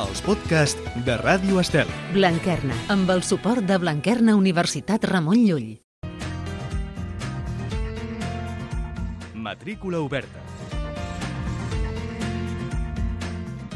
els podcasts de Ràdio Estel. Blanquerna, amb el suport de Blanquerna Universitat Ramon Llull. Matrícula oberta.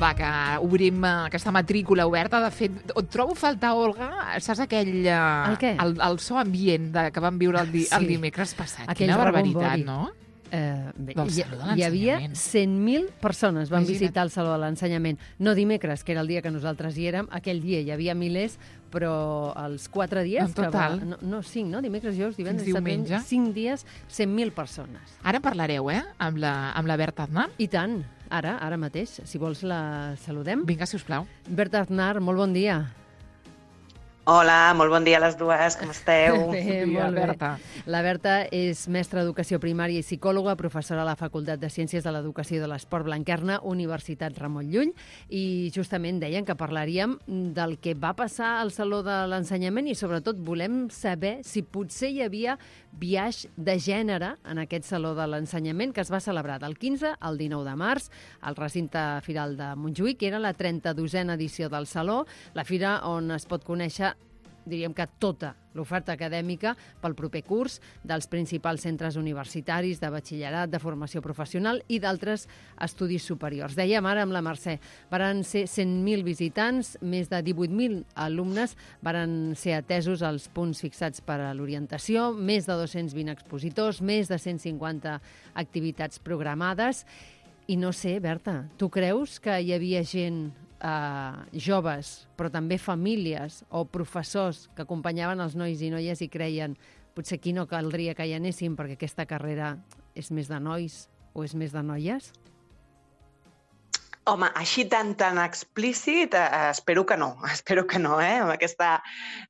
Va, que obrim aquesta matrícula oberta. De fet, et trobo a faltar, Olga, saps aquell... El què? El so ambient que vam viure el dimecres passat. Aquell Quina barbaritat, rebombori. no? Bé, Del Saló de hi havia l'Ensenyament. 100.000 persones van Imagina't. visitar el Saló de l'Ensenyament. No dimecres, que era el dia que nosaltres hi érem, aquell dia hi havia milers, però els 4 dies... En total. Que va, no, 5, no? Dimecres, dijous, divendres, Fins diumenge. 5 dies, 100.000 persones. Ara en parlareu, amb la Berta Aznar? I tant, ara mateix, si vols la saludem. Vinga, sisplau. Berta Aznar, molt bon dia. Hola, molt bon dia a les dues, com esteu? Bé, Bon dia, molt bé. Berta. La Berta és mestra d'Educació Primària i psicòloga, professora a la Facultat de Ciències de l'Educació i de l'Esport Blanquerna, Universitat Ramon Llull, i justament deien que parlaríem del que va passar al Saló de l'Ensenyament i sobretot volem saber si potser hi havia biaix de gènere en aquest Saló de l'Ensenyament que es va celebrar del 15 al 19 de març al recinte firal de Montjuïc, que era la 32a edició del Saló, la fira on es pot conèixer diríem que tota l'oferta acadèmica pel proper curs dels principals centres universitaris, de batxillerat, de formació professional i d'altres estudis superiors. Dèiem ara amb la Mercè, varen ser 100.000 visitants, més de 18.000 alumnes varen ser atesos als punts fixats per a l'orientació, més de 220 expositors, més de 150 activitats programades. I no sé, Berta, tu creus que hi havia gent joves, però també famílies o professors que acompanyaven els nois i noies i creien potser aquí no caldria que hi anéssim perquè aquesta carrera és més de nois o és més de noies? Home, així tan explícit, espero que no, Amb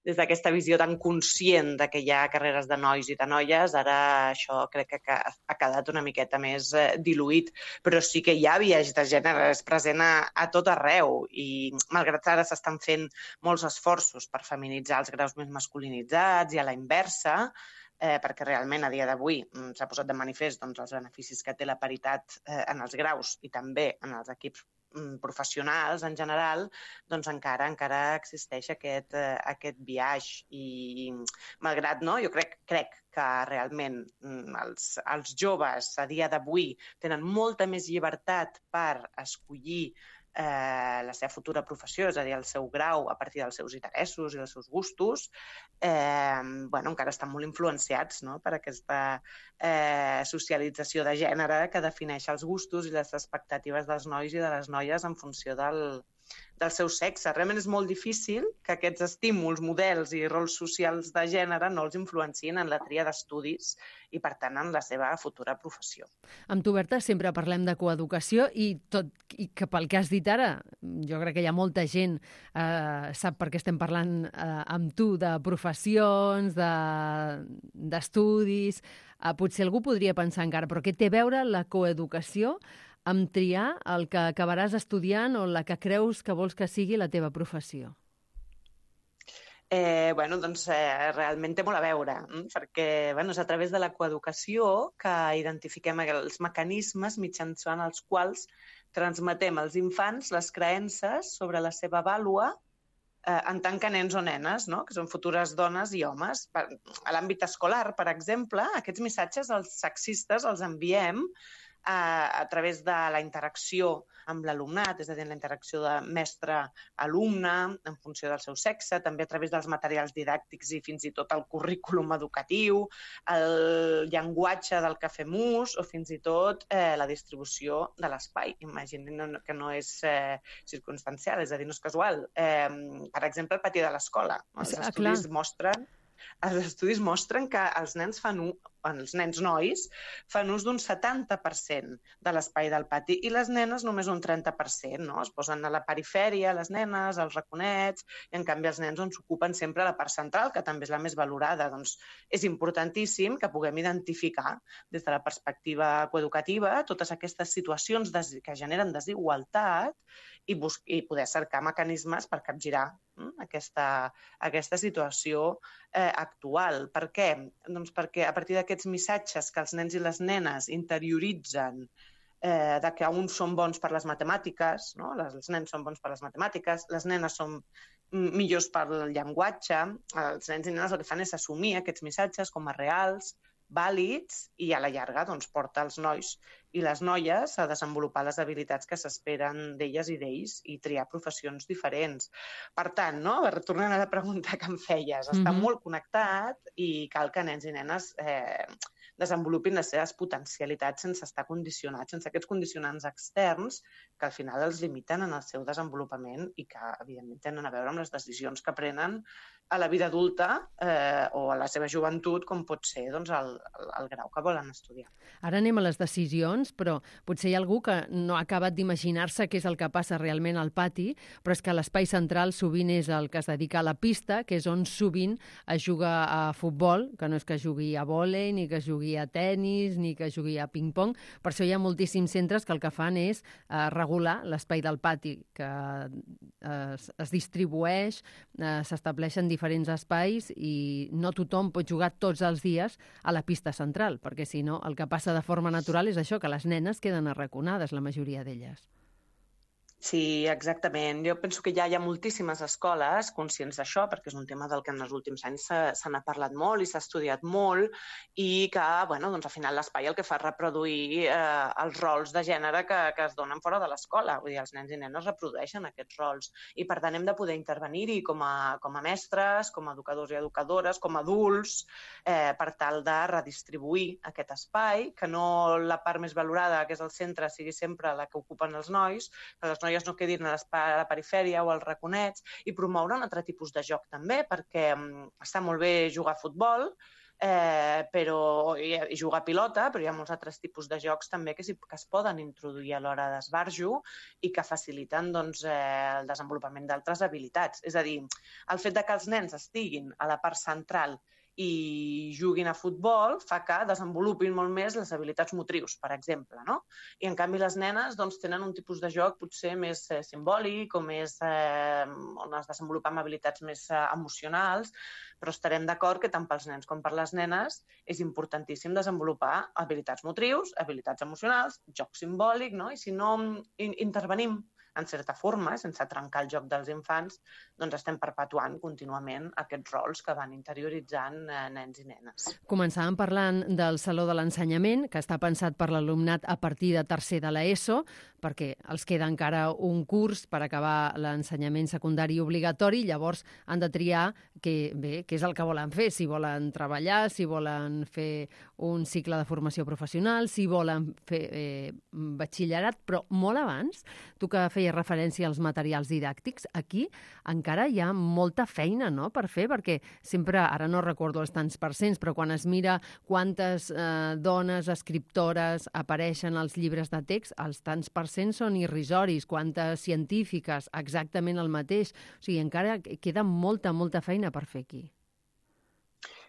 des d'aquesta visió tan conscient de que hi ha carreres de nois i de noies, ara això crec que ha quedat una miqueta més diluït, però sí que hi ha biaix de gènere, és present a tot arreu i malgrat ara s'estan fent molts esforços per feminitzar els graus més masculinitzats i a la inversa, perquè realment a dia d'avui s'ha posat de manifest els beneficis que té la paritat en els graus i també en els equips professionals en general, doncs encara existeix aquest biaix i malgrat, no, jo crec que realment els joves a dia d'avui tenen molta més llibertat per escollir la seva futura professió, és a dir, el seu grau a partir dels seus interessos i dels seus gustos, encara estan molt influenciats, no?, per aquesta socialització de gènere que defineix els gustos i les expectatives dels nois i de les noies en funció del seu sexe. Realment és molt difícil que aquests estímuls, models i rols socials de gènere no els influenciïn en la tria d'estudis i, per tant, en la seva futura professió. Amb tu, Berta, sempre parlem de coeducació i que pel que has dit ara, jo crec que hi ha molta gent sap per què estem parlant amb tu de professions, d'estudis. Potser algú podria pensar encara, però què té a veure la coeducació amb triar el que acabaràs estudiant o la que creus que vols que sigui la teva professió? Realment té molt a veure, perquè és a través de la coeducació que identifiquem els mecanismes mitjançant els quals transmetem als infants les creences sobre la seva vàlua en tant que nens o nenes, no?, que són futures dones i homes. A l'àmbit escolar, per exemple, aquests missatges els sexistes els enviem a través de la interacció amb l'alumnat, és a dir, la interacció de mestre-alumne en funció del seu sexe, també a través dels materials didàctics i fins i tot el currículum educatiu, el llenguatge del que fem ús o fins i tot la distribució de l'espai. Imaginin que no és circumstancial, és a dir, no és casual. Per exemple, el pati de l'escola. Els estudis mostren que els nens nois fan ús d'un 70% de l'espai del pati i les nenes només un 30%, no? Es posen a la perifèria, les nenes, als raconets, i en canvi els nens s'ocupen sempre a la part central, que també és la més valorada. Doncs és importantíssim que puguem identificar des de la perspectiva coeducativa totes aquestes situacions que generen desigualtat i poder cercar mecanismes per capgirar aquesta situació actual. Per què? Doncs perquè a partir d'aquests missatges que els nens i les nenes interioritzen de que uns són bons per les matemàtiques, no? Els nens són bons per les matemàtiques, les nenes són millors pel llenguatge, els nens i nenes el que fan és assumir aquests missatges com a reals, vàlids, i a la llarga doncs, porta els nois i les noies a desenvolupar les habilitats que s'esperen d'elles i d'ells i triar professions diferents. Per tant, no? Tornant a la pregunta que em feies, està molt connectat i cal que nens i nenes desenvolupin les seves potencialitats sense estar condicionats, sense aquests condicionants externs que al final els limiten en el seu desenvolupament i que, evidentment, tenen a veure amb les decisions que prenen a la vida adulta o a la seva joventut, com pot ser doncs, el grau que volen estudiar. Ara anem a les decisions, però potser hi ha algú que no ha acabat d'imaginar-se què és el que passa realment al pati, però és que l'espai central sovint és el que es dedica a la pista, que és on sovint es juga a futbol, que no és que jugui a vòlei, ni que jugui a tennis, ni que jugui a ping-pong. Per això hi ha moltíssims centres que el que fan és regular l'espai del pati, que es distribueix, s'estableixen diferents espais i no tothom pot jugar tots els dies a la pista central, perquè si no el que passa de forma natural és això, que les nenes queden arraconades, la majoria d'elles. Sí, exactament. Jo penso que ja hi ha moltíssimes escoles conscients d'això, perquè és un tema del que en els últims anys se n'ha parlat molt i s'ha estudiat molt i que, doncs, al final l'espai el que fa és reproduir els rols de gènere que es donen fora de l'escola. Vull dir, els nens i nenes reprodueixen aquests rols i, per tant, hem de poder intervenir-hi com a mestres, com a educadors i educadores, com a adults, per tal de redistribuir aquest espai, que no la part més valorada, que és el centre, sigui sempre la que ocupen els nois, que les noies no quedin a la perifèria o als raconets, i promoure un altre tipus de joc també, perquè està molt bé jugar a futbol, i jugar a pilota, però hi ha molts altres tipus de jocs també que es poden introduir a l'hora d'esbarjo i que faciliten el desenvolupament d'altres habilitats. És a dir, el fet que els nens estiguin a la part central i juguin a futbol fa que desenvolupin molt més les habilitats motrius, per exemple, no? I, en canvi, les nenes tenen un tipus de joc potser més simbòlic o més on es desenvolupen habilitats més emocionals, però estarem d'acord que tant pels nens com per les nenes és importantíssim desenvolupar habilitats motrius, habilitats emocionals, joc simbòlic, no? I si no intervenim en certa forma, sense trencar el joc dels infants, doncs estem perpetuant contínuament aquests rols que van interioritzant nens i nenes. Començàvem parlant del Saló de l'Ensenyament, que està pensat per l'alumnat a partir de tercer de l'ESO, perquè els queda encara un curs per acabar l'ensenyament secundari obligatori, llavors han de triar què és el que volen fer, si volen treballar, si volen fer un cicle de formació professional, si volen fer batxillerat, però molt abans, tu que feies referència als materials didàctics, aquí encara hi ha molta feina, no?, per fer, perquè sempre, ara no recordo els tants percents, però quan es mira quantes dones escriptores apareixen als llibres de text, els tants percents són irrisoris, quantes científiques, exactament el mateix. O sigui, encara queda molta feina per fer aquí.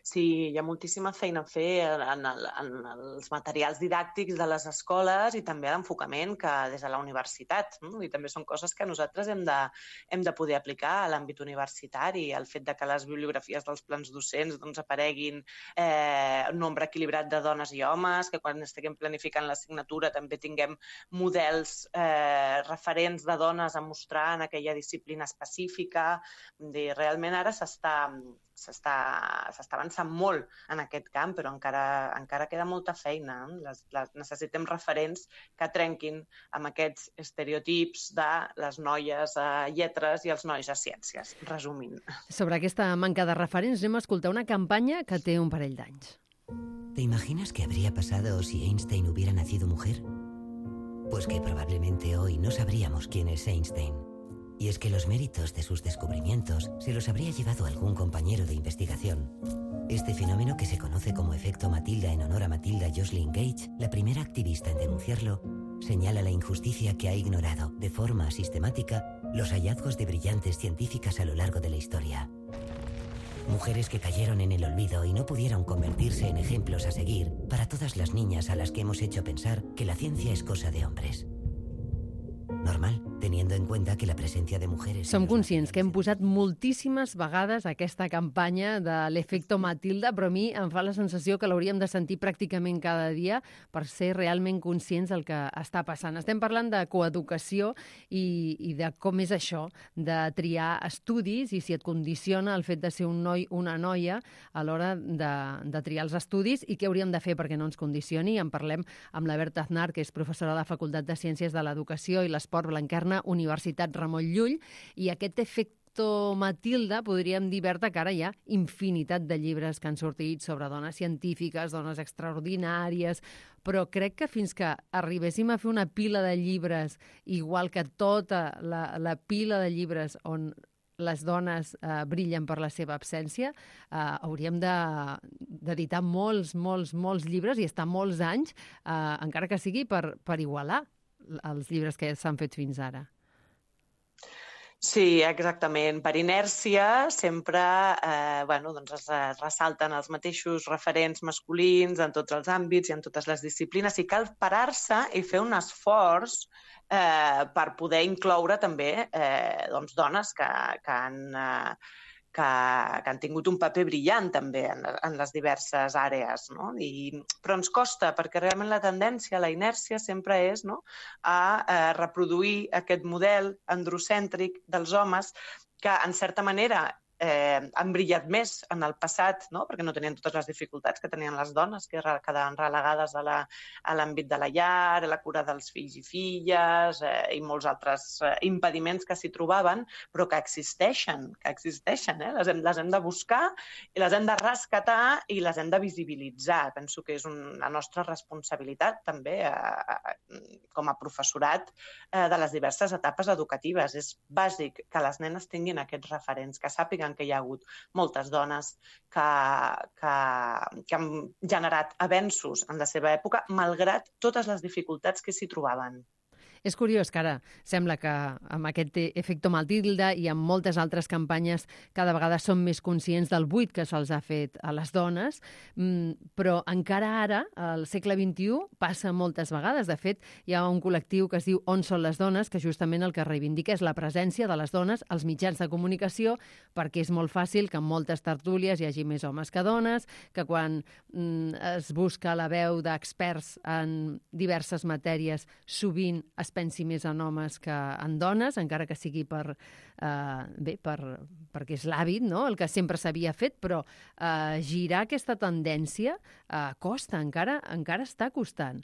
Sí, hi ha moltíssima feina a fer en els materials didàctics de les escoles i també l'enfocament que des de la universitat. I també són coses que nosaltres hem de poder aplicar a l'àmbit universitari. El fet de que les bibliografies dels plans docents apareguin un nombre equilibrat de dones i homes, que quan estiguem planificant l'assignatura també tinguem models referents de dones a mostrar en aquella disciplina específica. Realment ara s'està avançant molt en aquest camp, però encara queda molta feina. Necessitem referents que trenquin amb aquests estereotips de les noies a lletres i els nois a ciències, resumint. Sobre aquesta manca de referents anem a escoltar una campanya que té un parell d'anys. ¿Te imaginas qué habría pasado si Einstein hubiera nacido mujer? Pues que probablemente hoy no sabríamos quién es Einstein. Y es que los méritos de sus descubrimientos se los habría llevado algún compañero de investigación. Este fenómeno, que se conoce como efecto Matilda en honor a Matilda Joslyn Gage, la primera activista en denunciarlo, señala la injusticia que ha ignorado de forma sistemática los hallazgos de brillantes científicas a lo largo de la historia. Mujeres que cayeron en el olvido y no pudieron convertirse en ejemplos a seguir para todas las niñas a las que hemos hecho pensar que la ciencia es cosa de hombres. Normal, de teniendo en cuenta que la presencia de mujeres... Som conscients que hem posat moltíssimes vegades aquesta campanya de l'efecte Matilda, però a mi em fa la sensació que l'hauríem de sentir pràcticament cada dia per ser realment conscients del que està passant. Estem parlant de coeducació i de com és això, de triar estudis i si et condiciona el fet de ser un noi o una noia a l'hora de triar els estudis i què hauríem de fer perquè no ens condicioni. En parlem amb la Berta Aznar, que és professora a la Facultat de Ciències de l'Educació i l'Esport Blanquerna, Universitat Ramon Llull, i aquest efecte Matilda, podríem dir, Berta, que ara hi ha infinitat de llibres que han sortit sobre dones científiques, dones extraordinàries, però crec que fins que arribéssim a fer una pila de llibres, igual que tota la pila de llibres on les dones brillen per la seva absència, hauríem d'editar molts llibres i estar molts anys, encara que sigui per igualar els llibres que s'han fet fins ara. Sí, exactament. Per inèrcia sempre es ressalten els mateixos referents masculins en tots els àmbits i en totes les disciplines i cal parar-se i fer un esforç per poder incloure també dones que han tingut un paper brillant també en les diverses àrees, no? Però ens costa, perquè realment la tendència, la inèrcia sempre és a reproduir aquest model androcèntric dels homes que, en certa manera, han brillat més en el passat, no? Perquè no tenien totes les dificultats que tenien les dones, que quedaven relegades a l'àmbit de la llar, a la cura dels fills i filles i molts altres impediments que s'hi trobaven, però que existeixen, les hem de buscar i les hem de rescatar i les hem de visibilitzar. Penso que és la nostra responsabilitat també com a professorat de les diverses etapes educatives. És bàsic que les nenes tinguin aquests referents, que sàpiguen que hi ha hagut moltes dones que han generat avenços en la seva època, malgrat totes les dificultats que s'hi trobaven. És curiós que ara sembla que amb aquest efecte Matilda i amb moltes altres campanyes cada vegada som més conscients del buit que se'ls ha fet a les dones, però encara ara, al segle XXI, passa moltes vegades. De fet, hi ha un col·lectiu que es diu On són les dones, que justament el que reivindica és la presència de les dones als mitjans de comunicació, perquè és molt fàcil que en moltes tertúlies hi hagi més homes que dones, que quan es busca la veu d'experts en diverses matèries, sovint es pensi més en homes que en dones, encara que sigui perquè és l'hàbit, no? El que sempre s'havia fet, però girar aquesta tendència costa, encara està costant.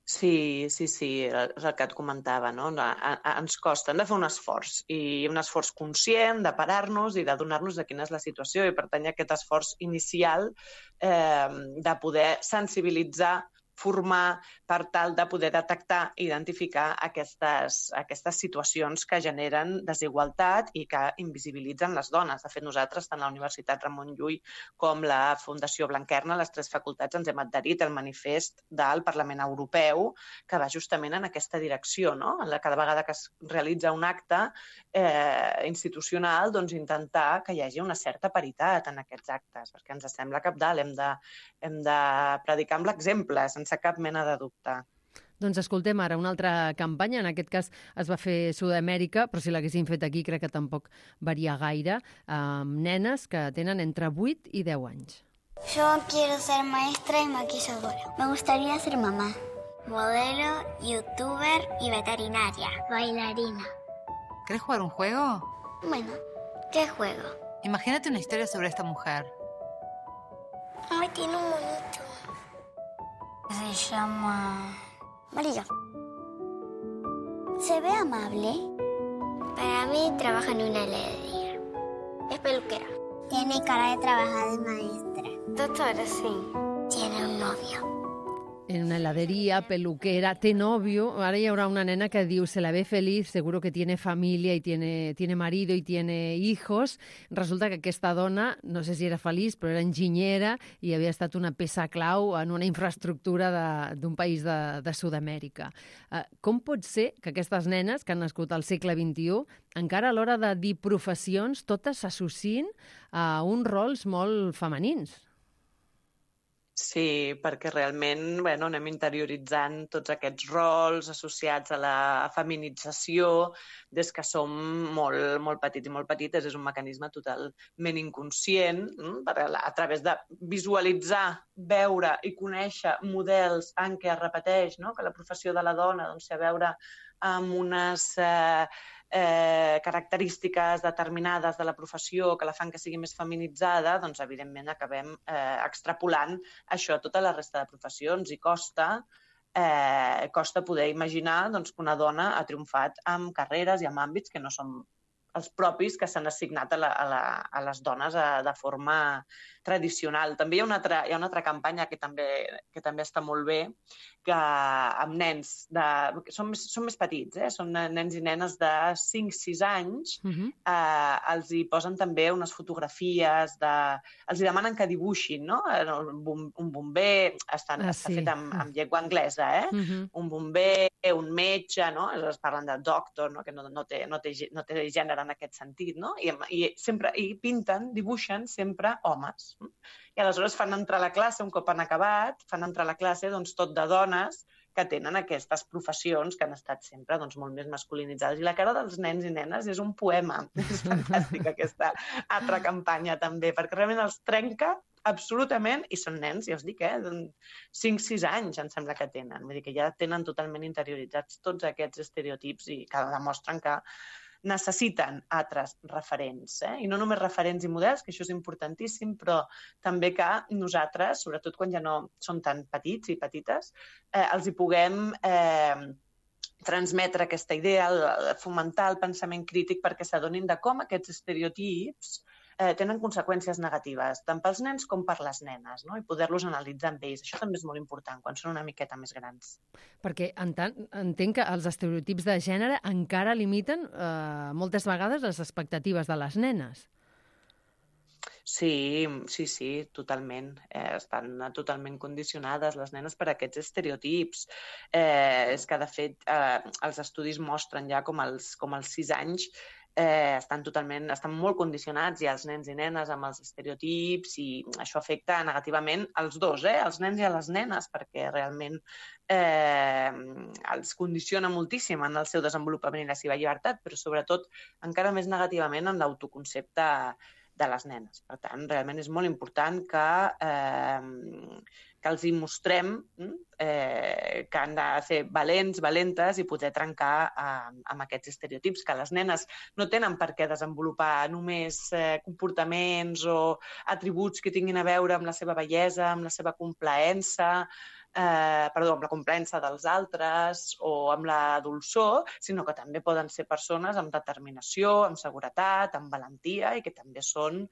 Sí, és el que et comentava, no? Ens costa, hem de fer un esforç, i un esforç conscient de parar-nos i de donar-nos de quina és la situació, i per tant aquest esforç inicial de poder sensibilitzar, formar per tal de poder detectar i identificar aquestes situacions que generen desigualtat i que invisibilitzen les dones. De fet, nosaltres, tant la Universitat Ramon Llull com la Fundació Blanquerna, les 3 facultats, ens hem adherit al manifest del Parlament Europeu que va justament en aquesta direcció, no? Cada vegada que es realitza un acte institucional, doncs intentar que hi hagi una certa paritat en aquests actes, perquè ens sembla cabdal, hem de predicar amb l'exemple, sense cap mena de dubte. Doncs escoltem ara una altra campanya, en aquest cas es va fer a Sud-amèrica, però si l'haguessin fet aquí crec que tampoc varia gaire, amb nenes que tenen entre 8 i 10 anys. Yo quiero ser maestra y maquilladora. Me gustaría ser mamá, modelo, youtuber y veterinaria, bailarina. ¿Querés jugar un juego? Bueno, ¿qué juego? Imagínate una historia sobre esta mujer. Ay, tiene un monito. Se llama María. ¿Se ve amable? Para mí trabaja en una heladería. Es peluquera. Tiene cara de trabajar de maestra. Doctora, sí. Tiene un novio. En una heladería, peluquera, té novio. Ahora hi haurà una nena que diu, se la ve feliz, seguro que tiene familia y tiene marido y tiene hijos. Resulta que aquesta dona, no sé si era feliç, però era enginyera i havia estat una peça clau en una infraestructura d'un país de Sud-amèrica. Com pot ser que aquestes nenes que han nascut al segle XXI, encara a l'hora de dir professions, totes s'associïn a uns rols molt femenins? Sí, perquè realment anem interioritzant tots aquests rols associats a la feminització des que som molt, molt petits i molt petites. És un mecanisme totalment inconscient, a través de visualitzar, veure i conèixer models en què es repeteix, no? Que la professió de la dona té a veure amb unes característiques determinades de la professió que la fan que sigui més feminitzada, doncs evidentment acabem extrapolant això a tota la resta de professions i costa poder imaginar que una dona ha triomfat en carreres i en àmbits que no són els propis que s'han assignat a les dones de forma tradicional. També hi ha una altra campanya que també està molt bé, que amb nens són més petits, són nens i nenes de 5-6 anys, els hi posen també unes fotografies, els hi demanen que dibuixin, no? Un bomber, està fet amb llengua anglesa, un bomber, un metge, no? Es parlen de doctor, no? Que no té gènere en aquest sentit, no? I pinten, dibuixen sempre homes. I aleshores fan entrar a la classe, un cop han acabat, fan entrar a la classe tot de dones que tenen aquestes professions que han estat sempre molt més masculinitzades. I la cara dels nens i nenes és un poema. És fantàstica aquesta altra campanya també, perquè realment els trenca absolutament, i són nens, ja us dic, 5-6 anys em sembla que tenen. Vull dir que ja tenen totalment interioritzats tots aquests estereotips i que demostren que necessiten altres referents, i no només referents i models, que això és importantíssim, però també que nosaltres, sobretot quan ja no són tan petits i petites, els hi puguem transmetre aquesta idea, fomentar el pensament crític perquè s'adonin de com aquests estereotips tenen conseqüències negatives, tant pels nens com per les nenes, no? I poder-los analitzar amb ells. Això també és molt important quan són una miqueta més grans. Perquè entenc que els estereotips de gènere encara limiten moltes vegades les expectatives de les nenes. Sí, totalment. Estan totalment condicionades les nenes per aquests estereotips. És que, de fet, els estudis mostren ja com als 6 anys estan molt condicionats ja els nens i nenes amb els estereotips i això afecta negativament als dos, als nens i a les nenes, perquè realment els condiciona moltíssim en el seu desenvolupament i la seva llibertat, però sobretot encara més negativament en l'autoconcepte de les nenes. Per tant, realment és molt important que els hi mostrem que han de ser valents, valentes i poder trencar amb aquests estereotips, que les nenes no tenen per què desenvolupar només comportaments o atributs que tinguin a veure amb la seva bellesa, amb la seva complaença, amb la complaença dels altres o amb la dolçor, sinó que també poden ser persones amb determinació, amb seguretat, amb valentia i que també són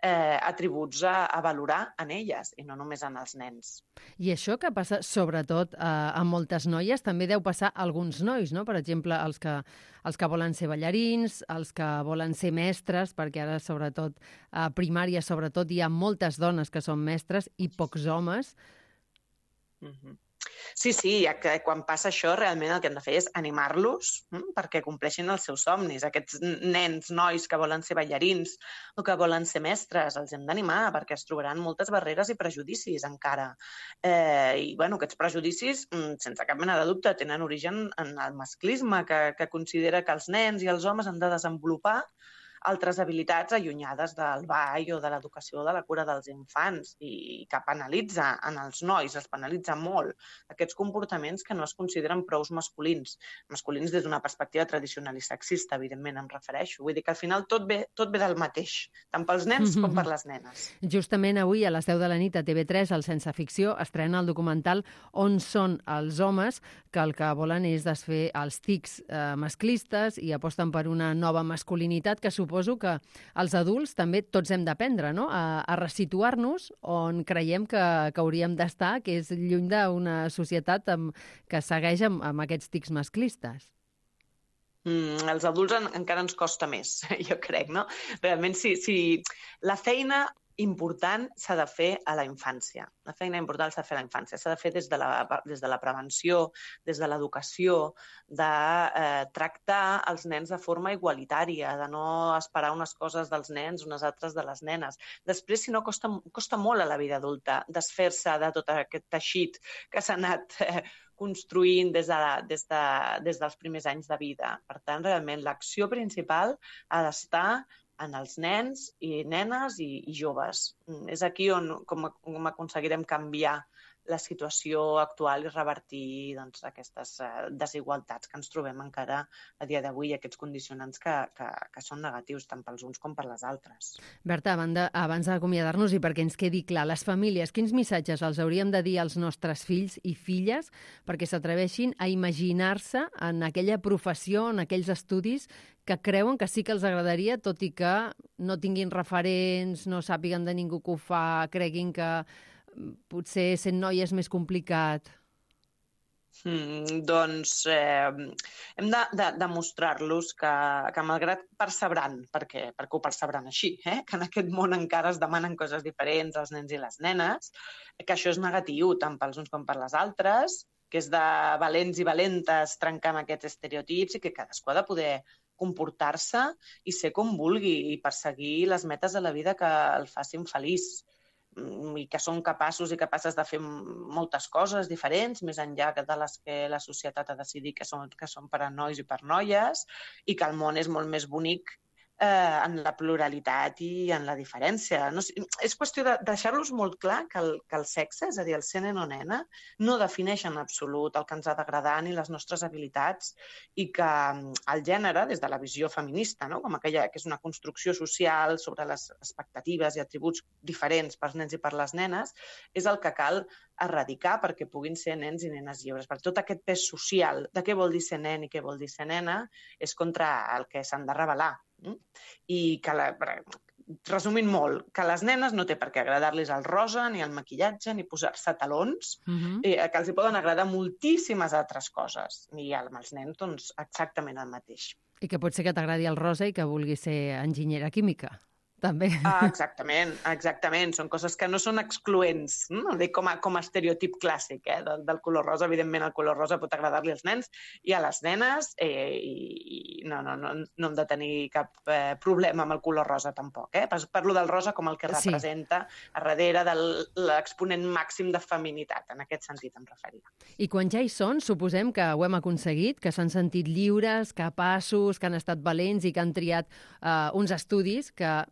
atributs a valorar en elles i no només en els nens. I això que passa sobretot a moltes noies també deu passar a alguns nois, no? Per exemple, els que volen ser ballarins, els que volen ser mestres, perquè ara sobretot a primària sobretot hi ha moltes dones que són mestres i pocs homes. Sí, quan passa això realment el que hem de fer és animar-los perquè compleixin els seus somnis. Aquests nens, nois que volen ser ballarins o que volen ser mestres, els hem d'animar perquè es trobaran moltes barreres i prejudicis encara. I aquests prejudicis, sense cap mena de dubte, tenen origen en el masclisme que considera que els nens i els homes han de desenvolupar altres habilitats allunyades del ball o de l'educació o de la cura dels infants i que penalitza en els nois, els penalitza molt aquests comportaments que no es consideren prous masculins. Masculins des d'una perspectiva tradicional i sexista, evidentment em refereixo. Vull dir que al final tot ve del mateix, tant pels nens com per les nenes. Justament avui a les 10 de la nit a TV3, al Sense Ficció, estrena el documental On són els homes, que el que volen és desfer els tics masclistes i aposten per una nova masculinitat que suposo que els adults també tots hem d'aprendre, no? A resituar-nos on creiem que hauríem d'estar, que és lluny d'una societat que segueix amb aquests tics masclistes. Els adults encara ens costa més, jo crec, no? Realment, si la feina important s'ha de fer a la infància. La feina important s'ha de fer a la infància. S'ha de fer des de la prevenció, des de l'educació, de tractar els nens de forma igualitària, de no esperar unes coses dels nens, unes altres de les nenes. Després, si no, costa molt a la vida adulta desfer-se de tot aquest teixit que s'ha anat construint des dels primers anys de vida. Per tant, realment, l'acció principal ha d'estar en els nens i nenes i joves. És aquí com aconseguirem canviar la situació actual i revertir aquestes desigualtats que ens trobem encara a dia d'avui, aquests condicionants que són negatius tant pels uns com per les altres. Berta, abans d'acomiadar-nos i perquè ens quedi clar, les famílies, quins missatges els hauríem de dir als nostres fills i filles perquè s'atreveixin a imaginar-se en aquella professió, en aquells estudis que creuen que sí que els agradaria, tot i que no tinguin referents, no sàpiguen de ningú que ho fa, creguin que potser sent noia és més complicat? Doncs hem de demostrar-los que malgrat persebran, perquè ho persebran així, que en aquest món encara es demanen coses diferents als nens i les nenes, que això és negatiu tant pels uns com per les altres, que és de valents i valentes trencar amb aquests estereotips i que cadascú ha de poder comportar-se i ser com vulgui i perseguir les metes de la vida que el facin feliç i que són capaços i capaces de fer moltes coses diferents, més enllà de les que la societat ha decidit que són per a nois i per noies, i que el món és molt més bonic en la pluralitat i en la diferència. No, és qüestió de deixar-los molt clar que el sexe, és a dir, el ser nen o nena, no defineix en absolut el que ens ha d'agradar ni les nostres habilitats i que el gènere, des de la visió feminista, no? Com aquella que és una construcció social sobre les expectatives i atributs diferents pels nens i per les nenes, és el que cal erradicar perquè puguin ser nens i nenes lliures. Per tot aquest pes social de què vol dir ser nen i què vol dir ser nena és contra el que s'han de rebel·lar. I que, resumint molt, que a les nenes no té per què agradar-los el rosa, ni el maquillatge, ni posar-se talons, que els hi poden agradar moltíssimes altres coses. I amb els nens, doncs, exactament el mateix. I que pot ser que t'agradi el rosa i que vulguis ser enginyera química, també. Exactament. Són coses que no són excloents, no? Com a estereotip clàssic del color rosa. Evidentment, el color rosa pot agradar-li als nens i a les nenes i no hem de tenir cap problema amb el color rosa tampoc. Parlo del rosa com el que representa a darrere de l'exponent màxim de feminitat. En aquest sentit em referia. I quan ja hi són, suposem que ho hem aconseguit, que s'han sentit lliures, capaços, que han estat valents i que han triat uns estudis que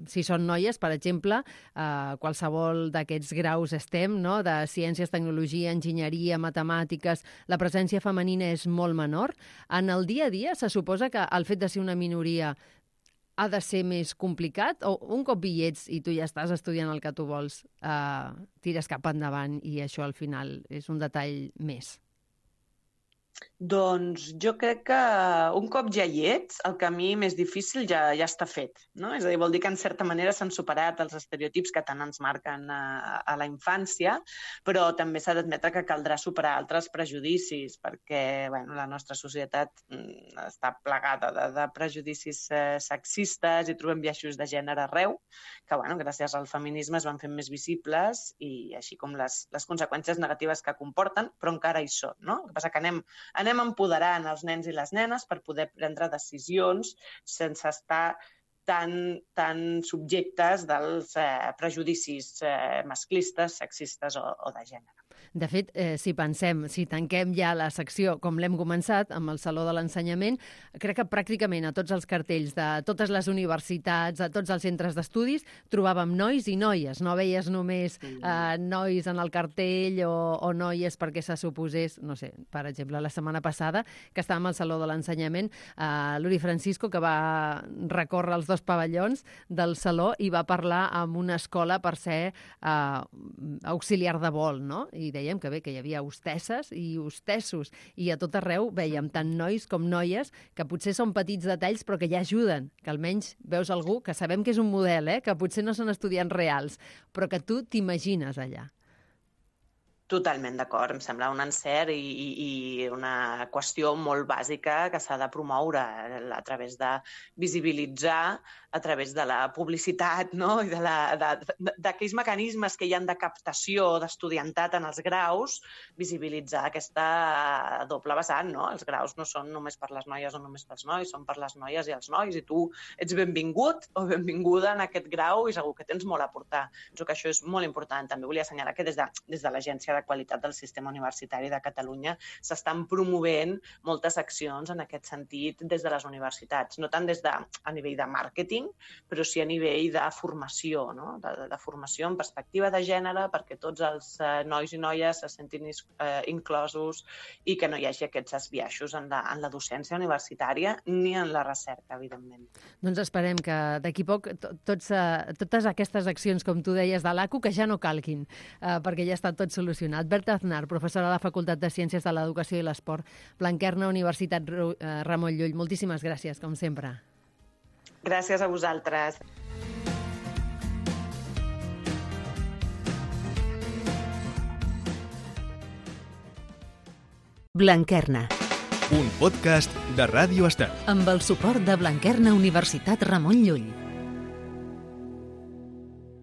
si són noies, per exemple, qualsevol d'aquests graus STEM, no? De ciències, tecnologia, enginyeria, matemàtiques, la presència femenina és molt menor. En el dia a dia se suposa que el fet de ser una minoria ha de ser més complicat o un cop hi ets i tu ja estàs estudiant el que tu vols, tires cap endavant i això al final és un detall més? Doncs jo crec que un cop ja hi ets, el camí més difícil ja està fet, no? És a dir, vol dir que en certa manera s'han superat els estereotips que tant ens marquen a la infància, però també s'ha d'admetre que caldrà superar altres prejudicis, perquè la nostra societat està plagada de prejudicis sexistes i trobem biaixos de gènere arreu, que gràcies al feminisme es van fer més visibles i així com les conseqüències negatives que comporten, però encara hi són, no? El que passa que anem empoderant els nens i les nenes per poder prendre decisions sense estar tan subjectes dels prejudicis masclistes, sexistes o de gènere. De fet, si tanquem ja la secció com l'hem començat, amb el Saló de l'Ensenyament, crec que pràcticament a tots els cartells de totes les universitats, a tots els centres d'estudis, trobàvem nois i noies. No veies només nois en el cartell o noies perquè se suposés, no sé, per exemple, la setmana passada, que estàvem al Saló de l'Ensenyament, l'Uri Francisco, que va recórrer els dos pavellons del Saló i va parlar amb una escola per ser auxiliar de vol, no? I dèiem que hi havia hostesses i hostessos, i a tot arreu veiem tant nois com noies, que potser són petits detalls però que ja ajuden, que almenys veus algú que sabem que és un model, que potser no són estudiants reals, però que tu t'imagines allà. Totalment d'acord, em sembla un encert i una qüestió molt bàsica que s'ha de promoure a través de visibilitzar a través de la publicitat, no? I d'aquells mecanismes que hi ha de captació d'estudiantat en els graus, visibilitzar aquesta doble vessant, no? Els graus no són només per les noies o només pels nois, són per les noies i els nois, i tu ets benvingut o benvinguda en aquest grau i segur que tens molt a aportar. Penso que això és molt important. També volia assenyalar que des de l'Agència de Qualitat del Sistema Universitari de Catalunya s'estan promovent moltes accions en aquest sentit des de les universitats, no tant a nivell de màrqueting, però sí a nivell de formació, no? De formació en perspectiva de gènere, perquè tots els nois i noies se sentin inclosos i que no hi hagi aquests biaixos en la docència universitària ni en la recerca, evidentment. Doncs esperem que d'aquí poc totes aquestes accions, com tu deies, de l'ACU, que ja no calguin, perquè ja està tot solucionat. Berta Aznar, professora a la Facultat de Ciències de l'Educació i l'Esport, Blanquerna, Universitat Ramon Llull. Moltíssimes gràcies, com sempre. Gràcies a vosaltres. Blanquerna. Un podcast de Ràdio Estel. Amb el suport de Blanquerna Universitat Ramon Llull.